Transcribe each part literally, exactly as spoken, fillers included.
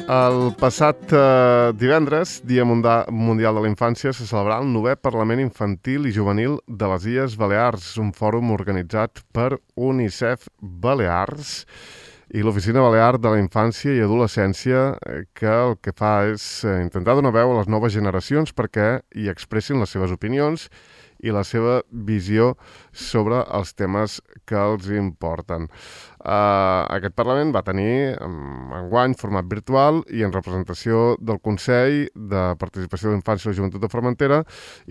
El passat eh, divendres, Dia Mundial de la Infància, se celebrà el novè Parlament Infantil i Juvenil de les Illes Balears, un fòrum organitzat per UNICEF Balears i l'Oficina Balear de la Infància i Adolescència, que el que fa és intentar donar veu a les noves generacions perquè hi expressin les seves opinions i la seva visió sobre els temes que els importen. Uh, aquest Parlament va tenir um, enguany format virtual i en representació del Consell de Participació de l'Infància i la Joventut de Formentera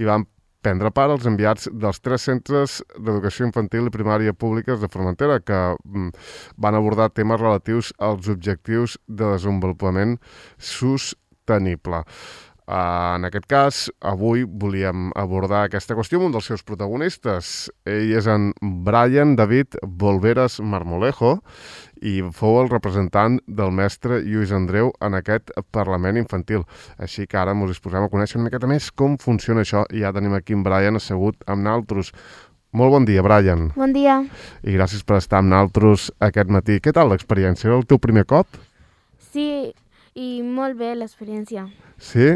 i van prendre part els enviats dels tres centres d'educació infantil i primària públiques de Formentera que um, van abordar temes relatius als objectius de desenvolupament sostenible. Uh, en aquest cas, avui volíem abordar aquesta qüestió amb un dels seus protagonistes. Ell és en Brian David Volveras Marmolejo i fou el representant del mestre Lluís Andreu en aquest Parlament Infantil. Així que ara ens disposem a conèixer una miqueta més com funciona això i ja tenim aquí en Brian assegut amb naltros. Molt bon dia, Brian. Bon dia. I gràcies per estar amb naltros aquest matí. Què tal l'experiència? Era el teu primer cop? Sí, i molt bé l'experiència. Sí?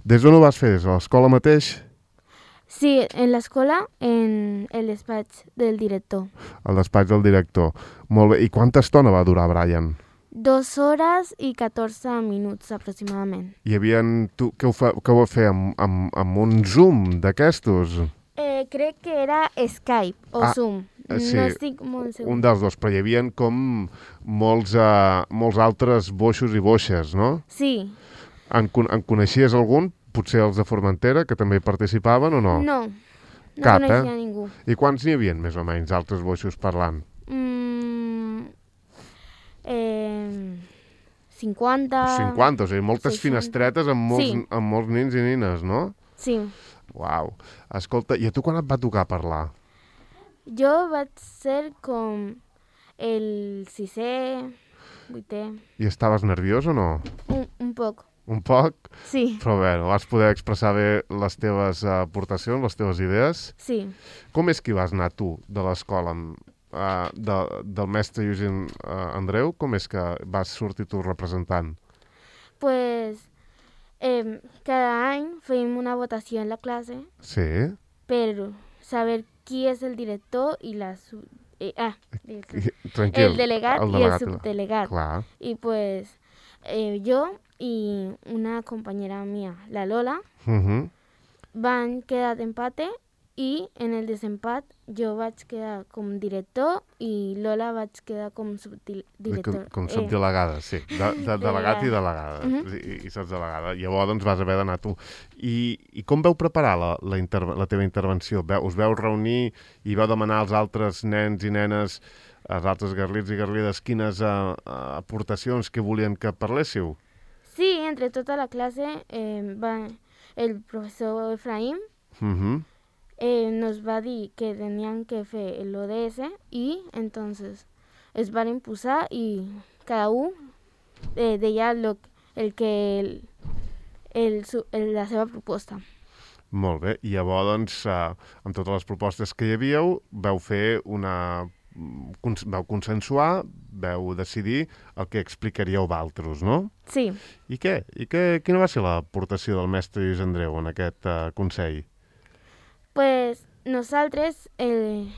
Des d'on ho vas fer? Des de l'escola mateix? Sí, en l'escola, en el despatx del director. Al despatx del director. Molt bé. I quanta estona va durar, Brian? Dos hores i catorze minuts, aproximadament. Hi havia... Tu, què ho, fa, què ho va fer? Amb, amb, amb un Zoom d'aquestos? Eh, crec que era Skype o ah, Zoom. Sí, no estic molt segur. Un dels dos, però hi havia com molts, uh, molts altres boixos i boixes, no? Sí. En, en coneixies algun? Potser els de Formentera, que també hi participaven o no? No, no Cap, coneixia eh? ningú. I quants n'hi havia, més o menys, altres boixos parlant? Mm, eh, cinquanta... cinquanta, o sigui, moltes seixanta. Finestretes amb molts, Sí. amb molts nins i nines, no? Sí. Uau. Escolta, i a tu quan et va tocar parlar? Jo vaig ser com el sisè, vuitè... I estaves nerviós o no? Un, un poc. Un poc? Sí. Però bé, vas poder expressar bé les teves uh, aportacions, les teves idees? Sí. Com és que vas anar tu de l'escola, uh, de, del mestre Lluís uh, Andreu? Com és que vas sortir tu representant? Pues eh, cada any fèiem una votació en la classe Sí? per saber qui és el director i la... Sub... Eh, ah, el, Tranquil. el delegat, el i delegat el subdelegat. Clar. I pues eh, jo i una companyera mía, la Lola, Uh -huh. van quedar empate i en el desempat jo vaig quedar com director i Lola vaig quedar com subdirector. Com, com subdelegada, sí. De, de delegat i delegada. Uh -huh. I, i sots delegada. Llavors doncs, vas haver d'anar tu. I, I com veu preparar la, la, interve la teva intervenció? Veu, us veu reunir i veu demanar als altres nens i nenes, als altres garlits i garlides, quines uh, uh, aportacions que volien que parléssiu? Sí, entre tota la classe eh, va, el professor Efraín Uh -huh. eh, nos va dir que tenían que fer el O D S i entonces es van imposar i cada un eh, deia lo, el que el, el, el, la seva proposta. Molt bé. I llavors, doncs, uh, amb totes les propostes que hi havíeu, veu fer una... Cons veu consensuar, veu decidir el que explicaríeu valtros, no? Sí. I què? I què, quina va ser l'aportació del mestre Lluís Andreu en aquest uh, Consell? Pues nosaltres el,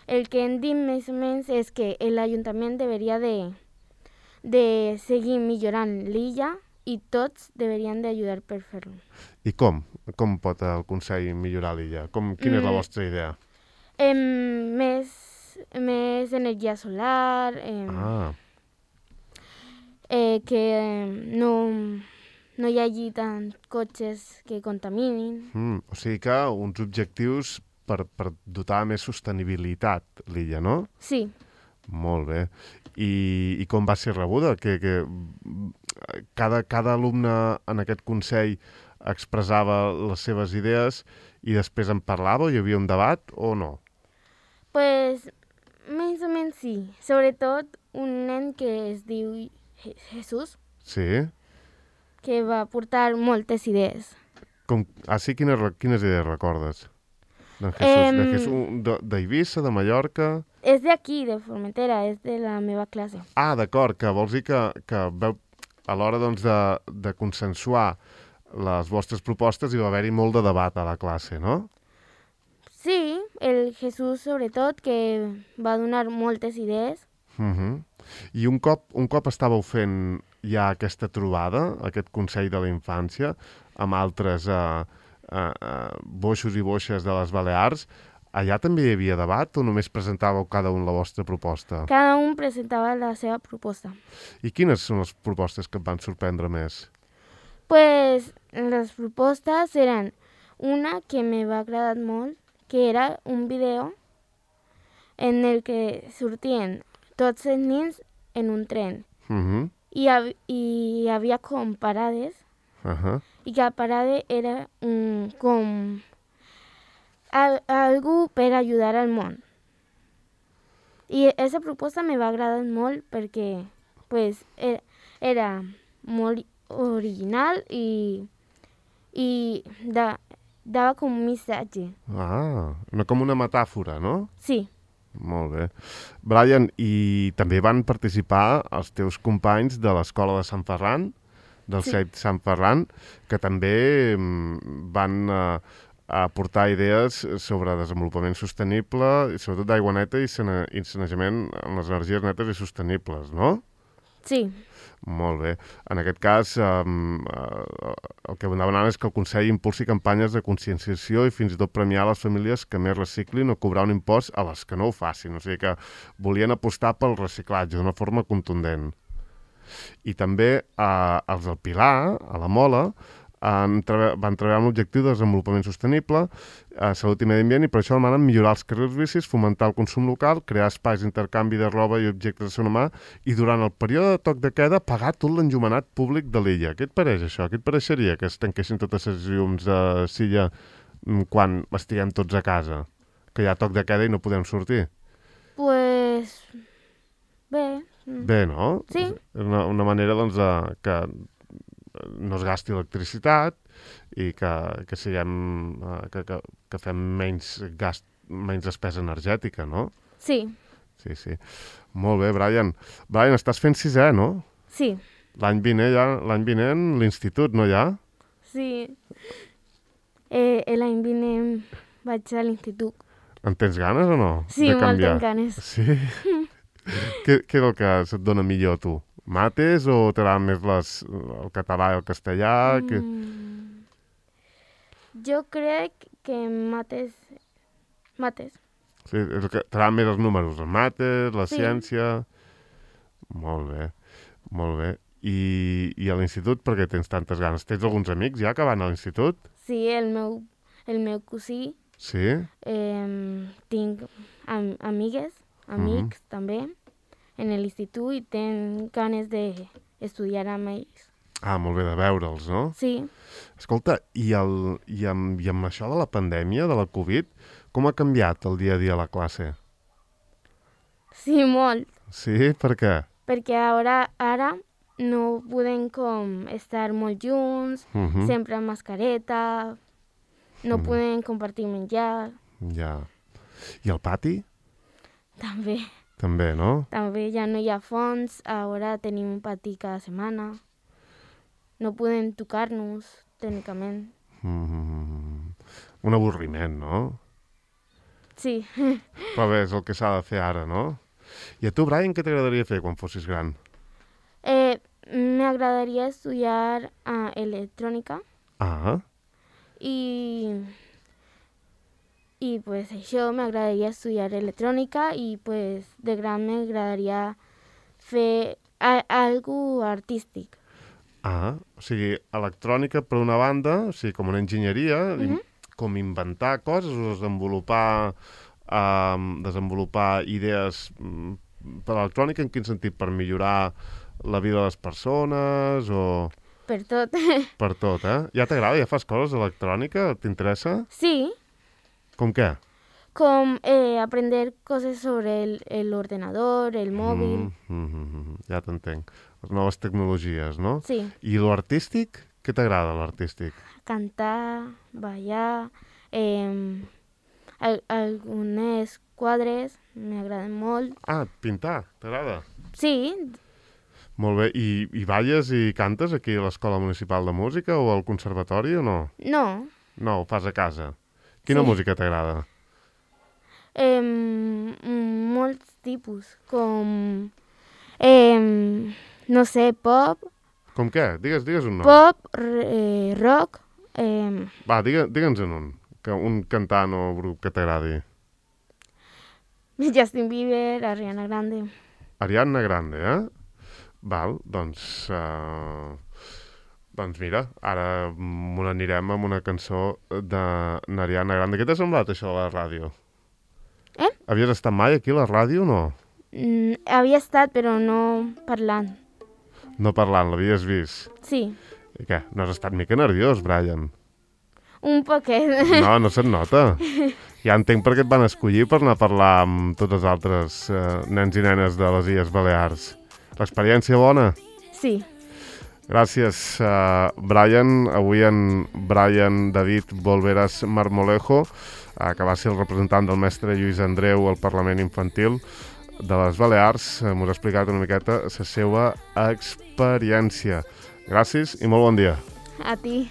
el que hem dit més o menys és que l'Ajuntament deberia de, de seguir millorant l'illa i tots deberien d'ajudar per fer-lo. I com? Com pot el Consell millorar l'illa? Com, quina mm. és la vostra idea? Eh, més, més energia solar, eh, Ah. eh, que no, no hi hagi tant cotxes que contaminin. Mm, o sigui que uns objectius per, per dotar més sostenibilitat l'illa, no? Sí. Molt bé. I, i com va ser rebuda? Que, que cada, cada alumne en aquest Consell expressava les seves idees i després en parlava o hi havia un debat o no? Pues, més o menys sí. Sobretot un nen que es diu Jesús. Sí? Que va portar moltes idees. Com, ah, sí? Quines, quines idees recordes? De Jesús, de Jesús, d'Eivissa, de Mallorca... És d'aquí, de Formentera, és de la meva classe. Ah, d'acord, que vols dir que, que veu, a l'hora doncs, de, de consensuar les vostres propostes hi va haver-hi molt de debat a la classe, no? Sí, el Jesús sobretot, que va donar moltes idees. Uh -huh. I un cop, un cop estàveu fent ja aquesta trobada, aquest Consell de la Infància, amb altres eh, eh, eh, boixos i boixes de les Balears, allà també hi havia debat o només presentàveu cada un la vostra proposta? Cada un presentava la seva proposta. I quines són les propostes que et van sorprendre més? Pues les propostes eren una que me va agradar molt, que era un video en el que sortien tots els nens en un tren. Uh -huh. I, hab i hi havia com parades, Uh -huh. i cada parada era un, com al algú per ajudar al món. I aquesta proposta me va agradar molt perquè pues, era, era molt original i, i da, dava com un missatge. Ah, no com una metàfora, no? Sí. Molt bé. Brian, i també van participar els teus companys de l'Escola de Sant Ferran, del Sí. C E I P Sant Ferran, que també mm, van eh, aportar idees sobre desenvolupament sostenible, i sobretot d'aigua neta i sane- i sanejament amb les energies netes i sostenibles, no? Sí. Molt bé. En aquest cas, eh, eh, el que demanant és que el Consell impulsi campanyes de conscienciació i fins i tot premiar les famílies que més reciclin o cobrar un impost a les que no ho facin. O sigui que volien apostar pel reciclatge d'una forma contundent. I també eh, els del Pilar, a la Mola, han treba van treballar amb l'objectiu de desenvolupament sostenible, eh, salut i medi ambient, i per això demanen millorar els carrils bicis, fomentar el consum local, crear espais d'intercanvi de roba i objectes de segona mà, i durant el període de toc de queda pagar tot l'enllumenat públic de l'illa. Què et pareix això? Què et pareixeria que es tanquessin totes les llums de Silla mm, quan estiguem tots a casa? Que hi ha toc de queda i no podem sortir? Pues bé. mm, Bé, no? Sí. És una, una manera doncs, de, que no es gasti electricitat i que, que, siguem, eh, que, que, que fem menys gast, menys despesa energètica, no? Sí. Sí, sí. Molt bé, Brian. Brian, estàs fent sisè, no? Sí. L'any vinent, ja, l'any vinent l'institut, no ja? Sí. Eh, L'any vinent vaig a l'institut. En tens ganes o no? Sí, de molt canviar? tenc ganes. Sí? què, què és el que se't dona millor a tu? Mates o t'agrada més les, el català i el castellà? Mm. Que... Mm. Jo crec que mates... Mates. Sí, és el que t'agraden més els números, els mates, la Sí. ciència... Molt bé, molt bé. I, i a l'institut per què tens tantes ganes? Tens alguns amics ja que van a l'institut? Sí, el meu, el meu cosí. Sí? Eh, tinc am amigues, amics Mhm. també, en l'institut i tenc ganes d'estudiar amb ells. Ah, molt bé, de veure'ls, no? Sí. Escolta, i, el, i, amb, i amb això de la pandèmia, de la Covid, com ha canviat el dia a dia a la classe? Sí, molt. Sí? Per què? Perquè ara, ara no podem com estar molt junts, Mhm. sempre amb mascareta, no Mm. podem compartir menjar, Ja. I al pati? també. També, no? També ja no hi ha fons, ara tenim un pati cada setmana. No podem tocar-nos, tècnicament. Mm. Un avorriment, no? Sí. Però bé, és el que s'ha de fer ara, no? I a tu, Brian, què t'agradaria fer quan fossis gran? Eh, m'agradaria estudiar uh, electrònica Ah, i, i pues això, m'agradaria estudiar electrònica i pues de gran m'agradaria fer a, algo artístic. ah, o sigui, electrònica per una banda, o sigui, com una enginyeria, Mhm. com inventar coses o desenvolupar, um, desenvolupar idees mm, per electrònica, en quin sentit? Per millorar la vida de les persones o Per tot. per tot, eh? Ja t'agrada? Ja fas coses d'electrònica? T'interessa? Sí, Com què? com eh, aprender coses sobre el, el ordenador, el móvil. Mm, mm, mm, mm, ja t'entenc. Les noves tecnologies, no? Sí, I lo artístic? Què t'agrada, l'artístic? cantar, ballar, eh, al, algunes quadres m'agraden molt. Ah, pintar, t'agrada? Sí, Molt bé. I, i balles i cantes aquí a l'Escola Municipal de Música o al Conservatori o no? No. No, ho fas a casa. Quina Sí. música t'agrada? Eh, molts tipus, com, eh, no sé, pop, Com què? Digues, digues un nom. pop, r- eh, rock, eh, Va, digue, digue'ns en un. Que un cantant o grup que t'agradi. Justin Bieber, Ariana Grande. Ariadna Grande, eh? Val, doncs... Uh... Doncs mira, ara m'ho anirem amb una cançó de n'Ariana Grande. Què t'ha semblat això de la ràdio? Eh? Havies estat mai aquí a la ràdio o no? Mm, havia estat, però no parlant. No parlant, l'havies vist. Sí, I què? No has estat mica nerviós, Brian? un poquet. No, no se't nota. Ja entenc per què et van escollir per anar a parlar amb tots els altres eh, nens i nenes de les Illes Balears. L'experiència bona? Sí, Gràcies, uh, Brian. Avui en Brian David Volveras Marmolejo, uh, que va ser el representant del mestre Lluís Andreu al Parlament Infantil de les Balears, uh, m'ho ha explicat una miqueta la seva experiència. Gràcies i molt bon dia. a ti.